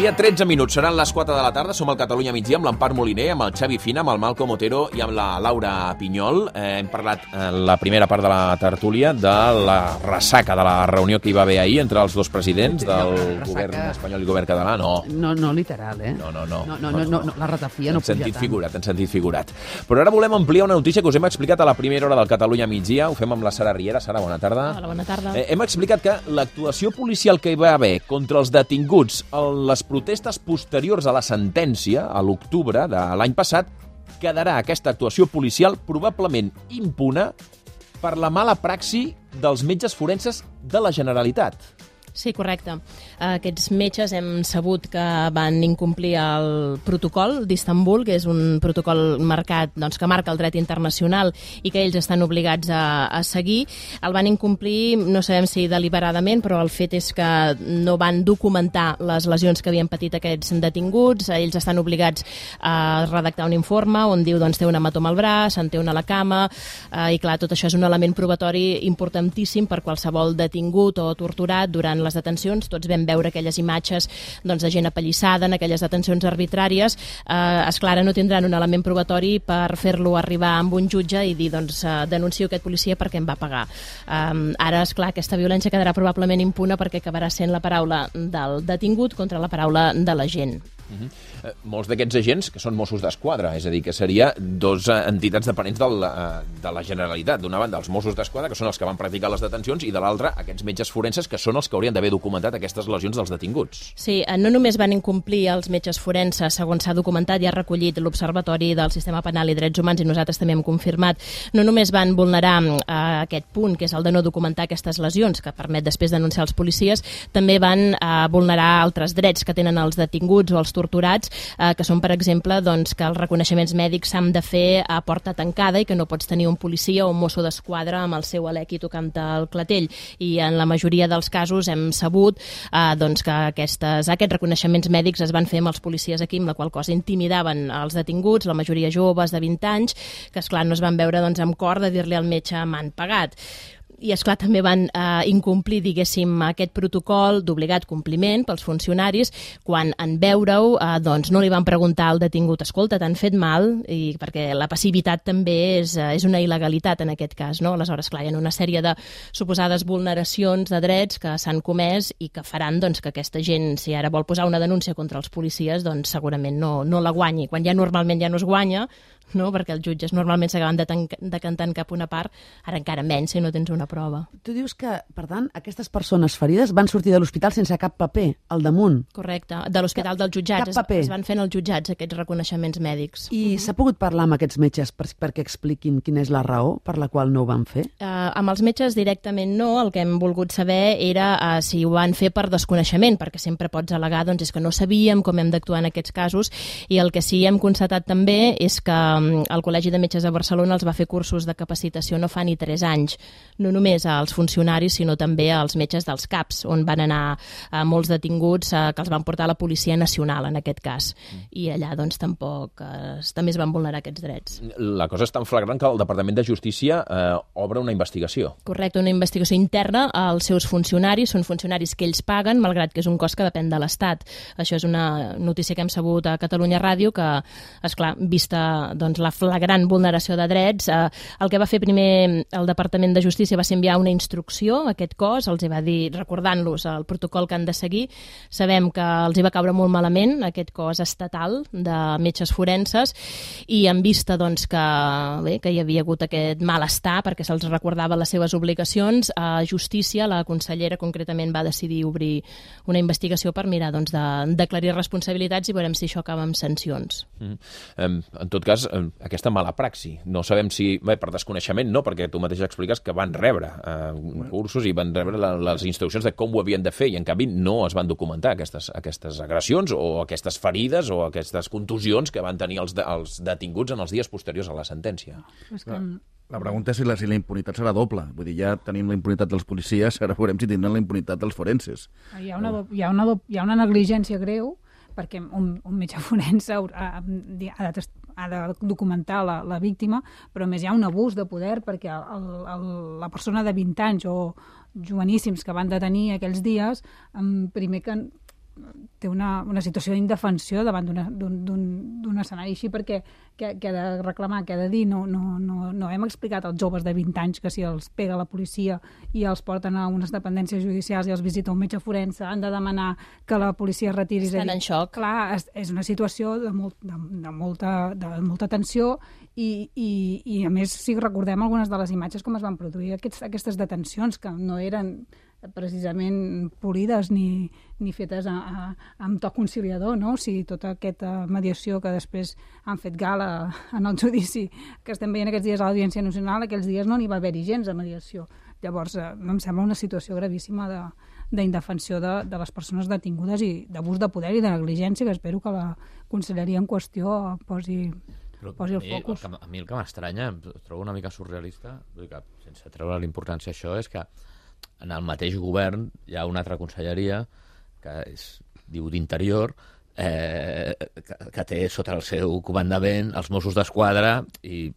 migdia, 13 minuts. Seran les 4 de la tarda. Som al Catalunya migdia amb l'Empar Moliner, amb el Xavi Fina, amb el Malcom Otero i amb la Laura Pinyol. Hem parlat la primera part de la tertúlia de la ressaca de la reunió que hi va haver ahir entre els dos presidents del govern espanyol i el govern català. No literal, eh? No. La ratafia no puja tant. En sentit figurat. Però ara volem ampliar una notícia que us hem explicat a la primera hora del Catalunya migdia. Ho fem amb la Sara Riera. Sara, bona tarda. Hola, bona tarda. Hem explicat que l'actuació policial que hi va haver contra els detinguts en les protestes posteriors a la sentència, a l'octubre de l'any passat, quedarà aquesta actuació policial probablement impune per la mala praxi dels metges forenses de la Generalitat. Sí, correcte. Aquests metges hem sabut que van incomplir el protocol d'Istanbul, que és un protocol marcat, doncs, que marca el dret internacional i que ells estan obligats a seguir. El van incomplir, no sabem si deliberadament, però el fet és que no van documentar les lesions que havien patit aquests detinguts. Ells estan obligats a redactar un informe on diu, doncs, té un hematoma al braç, en té una a la cama, i clar, tot això és un element probatori importantíssim per qualsevol detingut o torturat durant les detencions. Tots vam veure aquelles imatges, doncs, de gent apallissada en aquelles detencions arbitràries. Esclar, no tindran un element probatori per fer-lo arribar amb un jutge i dir, doncs, denuncio aquest policia perquè em va pagar. Ara, esclar, aquesta violència quedarà probablement impune perquè acabarà sent la paraula del detingut contra la paraula de la gent. Molts d'aquests agents que són Mossos d'Esquadra, és a dir, que seria dos entitats dependents de la Generalitat. D'una banda, els Mossos d'Esquadra, que són els que van practicar les detencions, i de l'altra, aquests metges forenses, que són els que haurien d'haver documentat aquestes lesions dels detinguts. Sí, no només van incomplir els metges forenses, segons s'ha documentat i ha recollit l'Observatori del Sistema Penal i Drets Humans, i nosaltres també hem confirmat, no només van vulnerar aquest punt, que és el de no documentar aquestes lesions, que permet després denunciar els policies, també van vulnerar altres drets que tenen els detinguts o els torturats, que són, per exemple, doncs, que els reconeixements mèdics s'han de fer a porta tancada i que no pots tenir un policia o un mosso d'esquadra amb el seu alec i tocant el clatell. I en la majoria dels casos hem sabut doncs, que aquests reconeixements mèdics es van fer amb els policies aquí, amb la qual cosa intimidaven els detinguts, la majoria joves de 20 anys, que esclar no es van veure, doncs, amb cor de dir-li al metge m'han pagat. I, esclar, també van incomplir, diguéssim, aquest protocol d'obligat compliment pels funcionaris quan en veure-ho doncs no li van preguntar al detingut, escolta, t'han fet mal, i perquè la passivitat també és una il·legalitat en aquest cas, no? Aleshores, clar, hi ha una sèrie de suposades vulneracions de drets que s'han comès i que faran, doncs, que aquesta gent, si ara vol posar una denúncia contra els policies, doncs segurament no la guanyi. Quan ja normalment ja no es guanya, no? Perquè els jutges normalment s'acaben decantant cap a una part, ara encara menys si no tens una prova. Tu dius que, per tant, aquestes persones ferides van sortir de l'hospital sense cap paper, al damunt. Correcte, de l'hospital dels jutjats. Cap paper. Es van fent als jutjats aquests reconeixements mèdics. I s'ha pogut parlar amb aquests metges perquè expliquin quina és la raó per la qual no ho van fer? Amb els metges directament no. El que hem volgut saber era si ho van fer per desconeixement, perquè sempre pots al·legar, doncs, és que no sabíem com hem d'actuar en aquests casos, i el que sí hem constatat també és que el Col·legi de Metges de Barcelona els va fer cursos de capacitació no fa ni 3 anys, no només als funcionaris, sinó també als metges dels CAPs, on van anar molts detinguts que els van portar a la Policia Nacional, en aquest cas. I allà, doncs, tampoc també es van vulnerar aquests drets. La cosa és tan flagrant que el Departament de Justícia obre una investigació. Correcte, una investigació interna als seus funcionaris. Són funcionaris que ells paguen, malgrat que és un cost que depèn de l'Estat. Això és una notícia que hem sabut a Catalunya Ràdio, que, esclar, vista, doncs, la flagrant vulneració de drets, el que va fer primer el Departament de Justícia va ser enviar una instrucció a aquest cos, els va dir, recordant-los el protocol que han de seguir. Sabem que els hi va caure molt malament aquest cos estatal de metges forenses, i en vista, doncs, que hi havia hagut aquest malestar perquè se'ls recordava les seves obligacions, a Justícia, la consellera concretament, va decidir obrir una investigació per mirar, doncs, d'aclarir responsabilitats, i veurem si això acaba amb sancions. En tot cas, aquesta mala praxi, no sabem si, per desconeixement no, perquè tu mateix expliques que van rebre cursos i van rebre les instruccions de com ho havien de fer, i en canvi no es van documentar aquestes agressions o aquestes ferides o aquestes contusions que van tenir els detinguts en els dies posteriors a la sentència. La pregunta és si la impunitat serà doble. Vull dir, ja tenim la impunitat dels policies, ara veurem si tindran la impunitat dels forenses. Hi ha una negligència greu, perquè un metge forense ha de documentar la víctima, però a més hi ha un abús de poder, perquè la persona de 20 anys o joveníssims que van detenir aquells dies, primer que té una situació d'indefensió davant d'un escenari així, perquè què ha de reclamar, què ha de dir? No hem explicat als joves de 20 anys que si els pega la policia i els porten a unes dependències judicials i els visita un metge forense, han de demanar que la policia retiri. Estan en xoc. Clar, és una situació de molta tensió i a més, si recordem algunes de les imatges com es van produir aquestes detencions, que no eren precisament polides ni fetes amb to conciliador, no? O sigui, tota aquesta mediació que després han fet gala en el judici que estem veient aquests dies a l'Audiència Nacional, aquells dies no n'hi va haver-hi gens de mediació. Llavors, em sembla una situació gravíssima d'indefensió de les persones detingudes i d'abús de poder i de negligència, que espero que la conselleria en qüestió posi el focus. A mi el que m'estranya, em trobo una mica surrealista, vull dir que, sense treure l'importància això, és que en el mateix govern hi ha una altra conselleria que diu d'Interior, que té sota el seu comandament els Mossos d'Esquadra i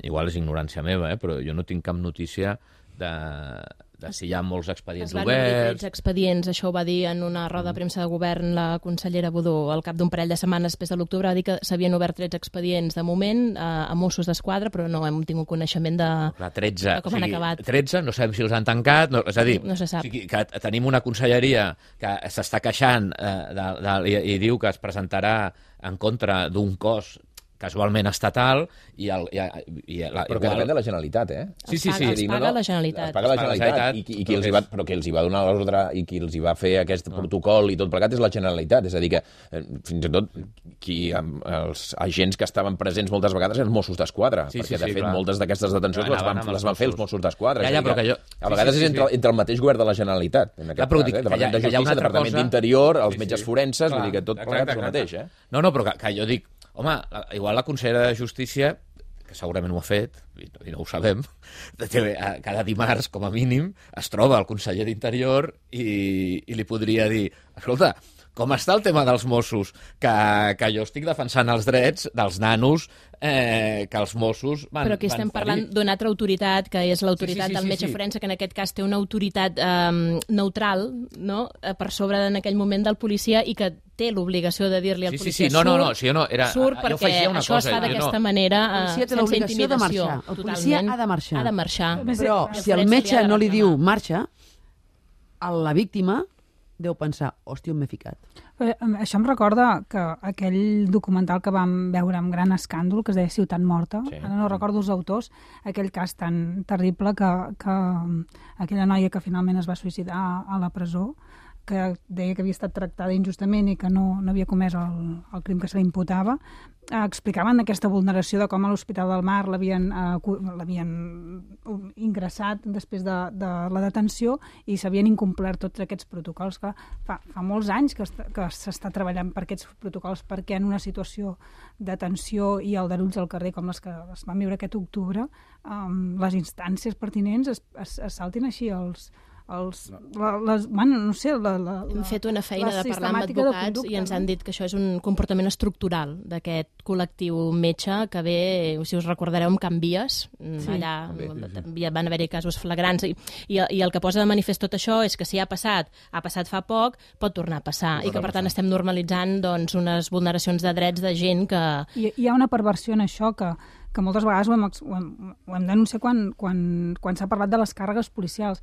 igual és ignorància meva, però jo no tinc cap notícia de si hi ha molts expedients oberts. Es van obrir 13 expedients, això ho va dir en una roda de premsa de govern la consellera Budó al cap d'un parell de setmanes després de l'octubre, va dir que s'havien obert 13 expedients de moment a Mossos d'Esquadra, però no hem tingut coneixement de com han acabat. 13, no sabem si els han tancat, és a dir, no se sap. O sigui, que tenim una conselleria que s'està queixant i diu que es presentarà en contra d'un cos casualment estatal però que depèn de la Generalitat, Sí. Es paga la Generalitat. Es paga la Generalitat però qui els hi va donar l'ordre i qui els hi va fer aquest protocol i tot plegat és la Generalitat, és a dir que fins i tot els agents que estaven presents moltes vegades eren Mossos d'Esquadra, perquè de fet moltes d'aquestes detencions les van fer els Mossos d'Esquadra. A vegades és entre el mateix govern de la Generalitat, en aquest cas, Departament de Justícia, Departament d'Interior, els metges forenses, vull dir que tot plegat és el mateix. No, però que jo dic, home, igual la consellera de Justícia, que segurament ho ha fet, i no ho sabem, cada dimarts, com a mínim, es troba el conseller d'Interior i li podria dir, escolta, com està el tema dels Mossos? Que jo estic defensant els drets dels nanos que els Mossos van... Però aquí estem parlant d'una altra autoritat, que és l'autoritat del metge forense, que en aquest cas té una autoritat neutral, no?, per sobre en aquell moment del policia i que té l'obligació de dir-li al policia surt perquè això es fa d'aquesta manera sense intimidació. El policia ha de marxar. Ha de marxar. Però si el metge no li diu marxa, la víctima deu pensar, hòstia, on m'he ficat. Això em recorda que aquell documental que vam veure amb gran escàndol, que es deia Ciutat Morta, ara no recordo els autors, aquell cas tan terrible que aquella noia que finalment es va suïcidar a la presó, que deia que havia estat tractada injustament i que no havia comès el crim que se li imputava, explicaven aquesta vulneració de com a l'Hospital del Mar l'havien ingressat després de la detenció i s'havien incomplert tots aquests protocols. Que fa molts anys que s'està treballant per aquests protocols perquè en una situació de tensió i aldarulls al carrer com les que es van viure aquest octubre, les instàncies pertinents es saltin així hem fet una feina de parlar amb advocats i ens han dit que això és un comportament estructural d'aquest col·lectiu metge que ve, si us recordareu, amb Can Vies, allà van haver-hi casos flagrants i el que posa de manifest tot això és que si ha passat fa poc, pot tornar a passar i que per tant estem normalitzant unes vulneracions de drets de gent que... Hi ha una perversió en això que moltes vegades ho hem denunciat quan s'ha parlat de les càrregues policials.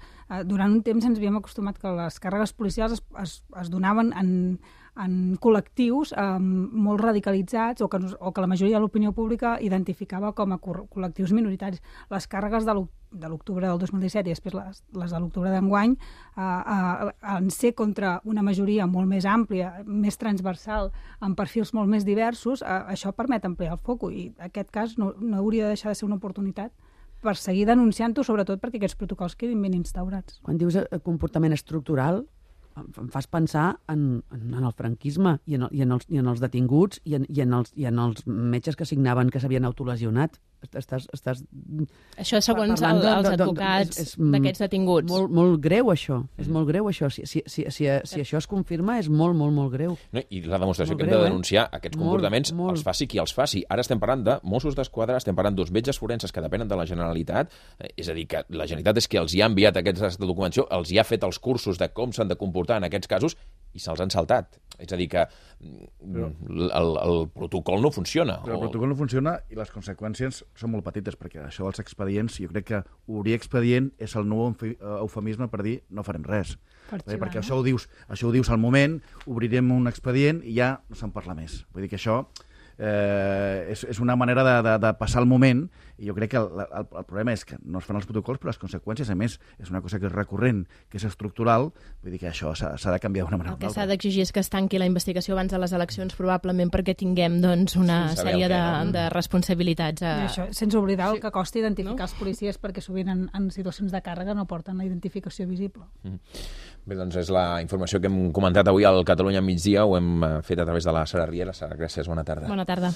Durant un temps ens havíem acostumat que les càrregues policials es donaven en col·lectius molt radicalitzats o que la majoria de l'opinió pública identificava com a col·lectius minoritaris. Les càrregues de l'octubre del 2017 i després les de l'octubre d'enguany en ser contra una majoria molt més àmplia, més transversal, amb perfils molt més diversos, això permet ampliar el foc i aquest cas no hauria de deixar de ser una oportunitat per seguir denunciant-ho, sobretot perquè aquests protocols quedin ben instaurats. Quan dius comportament estructural, em fas pensar en el franquisme i en els detinguts i en els metges que signaven que s'havien autolesionat. Això segons els advocats d'aquests detinguts. Molt greu, això. És molt greu, això. Si això es confirma, és molt, molt, molt greu. No, i la demostració que hem de denunciar aquests comportaments els faci qui els faci. Ara estem parlant de Mossos d'Esquadra, estem parlant d'uns metges forenses que depenen de la Generalitat, és a dir, que la Generalitat és qui els hi ha enviat aquesta documentació, els hi ha fet els cursos de com s'han de comportar en aquests casos i se'ls han saltat. És a dir, que el protocol no funciona. Però el protocol no funciona i les conseqüències són molt petites, perquè això dels expedients, jo crec que obrir expedient és el nou eufemisme per dir no farem res. Perquè això ho dius al moment, obrirem un expedient i ja no se'n parla més. Vull dir que això és una manera de passar el moment, i jo crec que el problema és que no es fan els protocols, però les conseqüències, a més, és una cosa que és recurrent, que és estructural, vull dir que això s'ha de canviar d'una manera o El que d'altra. s'ha d'exigir és que es tanqui la investigació abans de les eleccions, probablement perquè tinguem doncs, una sèrie de responsabilitats. I això, sense oblidar el que costa identificar els policies, perquè sovint en situacions de càrrega no porten la identificació visible. Bé, doncs és la informació que hem comentat avui al Catalunya Migdia, ho hem fet a través de la Sara Riera. Sara, gràcies, bona tarda. Bona tarda.